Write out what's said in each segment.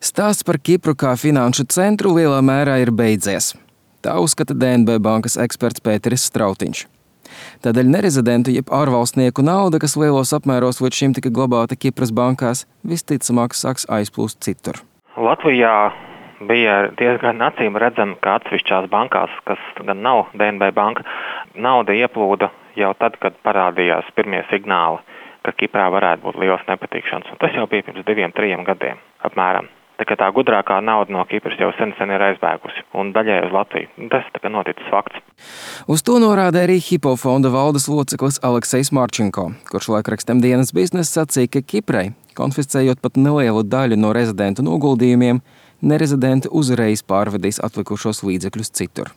Stāsts par Kipru kā finanšu centru lielā mērā ir beidzies. Tā uzskata DNB bankas eksperts Pēteris Strautiņš. Tādēļ nerezidentu jeb ārvalstnieku nauda, kas lielos apmēros līdz šim tika glabāta Kipras bankās, visticamāk sāks aizplūst citur. Latvijā bija diezgan acīm redzami, ka atsevišķās bankās, kas gan nav DNB banka, nauda ieplūda jau tad, kad parādījās pirmie signāli, ka Kiprā varētu būt liels nepatikšanas. Un tas jau bija pirms 2-3 gadiem apmēram. Tā gudrākā nauda no Kipras jau sen ir aizbēgusi un daļai uz Latviju. Tas noticis fakts. Uz to norāda arī Hypo fonda valdes loceklis Aleksejs Marčenko, kurš laikrakstam Dienas biznesa sacīja, ka Kiprai, konfiscējot pat nelielu daļu no rezidentu noguldījumiem, nerezidenti uzreiz pārvedīs atlikušos līdzekļus citur.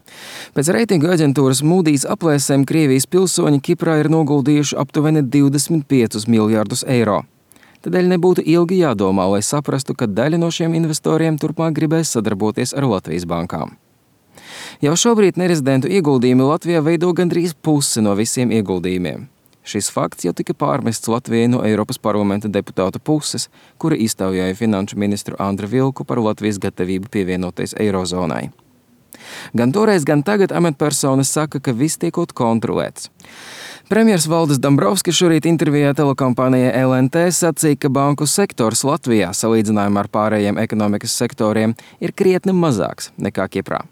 Pēc reitingu aģentūras Moody's aplēsēm Krievijas pilsoņi Kiprā ir noguldījuši aptuveni 25 miljārdus eiro. Tādēļ nebūtu ilgi jādomā, lai saprastu, ka daļa no šiem investoriem turpmāk gribēs sadarboties ar Latvijas bankām. Jau šobrīd nerezidentu ieguldījumi Latvijā veido gandrīz pusi no visiem ieguldījumiem. Šis fakts jau tika pārmests Latvijai no Eiropas parlamenta deputātu puses, kuri iztaujāja finanšu ministru Andru Vilku par Latvijas gatavību pievienoties Eirozonai. Gan toreiz, gan tagad amatpersonas saka, ka viss tiekot kontrolēts. Premjers Valdis Dombrovskis šorīt intervijā telekompānijai LNT sacīja, ka banku sektors Latvijā, salīdzinājumā ar pārējiem ekonomikas sektoriem, ir krietni mazāks nekā Kiprā.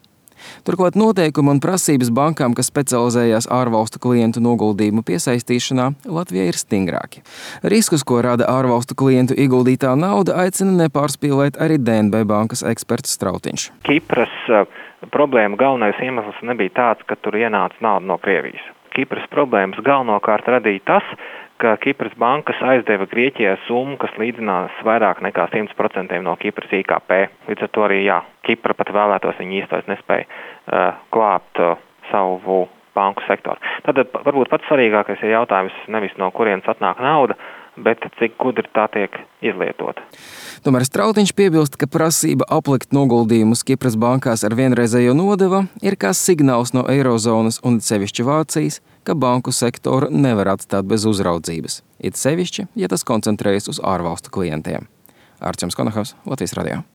Turklāt noteikumi un prasības bankām, kas specializējās ārvalstu klientu noguldījumu piesaistīšanā, Latvijā ir stingrāki. Riskus, ko rada ārvalstu klientu ieguldītā nauda, aicina nepārspīlēt arī DNB bankas eksperts Strautiņš. Kipras problēma galvenais iemesls nebija tāds, ka tur ienāca nauda no Krievijas. Kipras problēmas galvenokārt radīja tas, ka Kipras bankas aizdeva Grieķijai summu, kas līdzinās vairāk nekā 100% no Kipras IKP. Līdz ar to arī, Kipra pat vēlētos, viņi īstais nespēja klāpt savu banku sektoru. Tad varbūt pats svarīgākais ir jautājums nevis no kurienes atnāk nauda, bet cik gudri tā tiek izlietota. Tomēr Strautiņš piebilst, ka prasība aplikt noguldījumus Kipras bankās ar vienreizējo nodevu ir kā signāls no Eirozonas un sevišķi Vācijas, ka banku sektoru nevar atstāt bez uzraudzības. It sevišķi, ja tas koncentrējas uz ārvalstu klientiem. Arčuns Konahaus, Latvijas radio.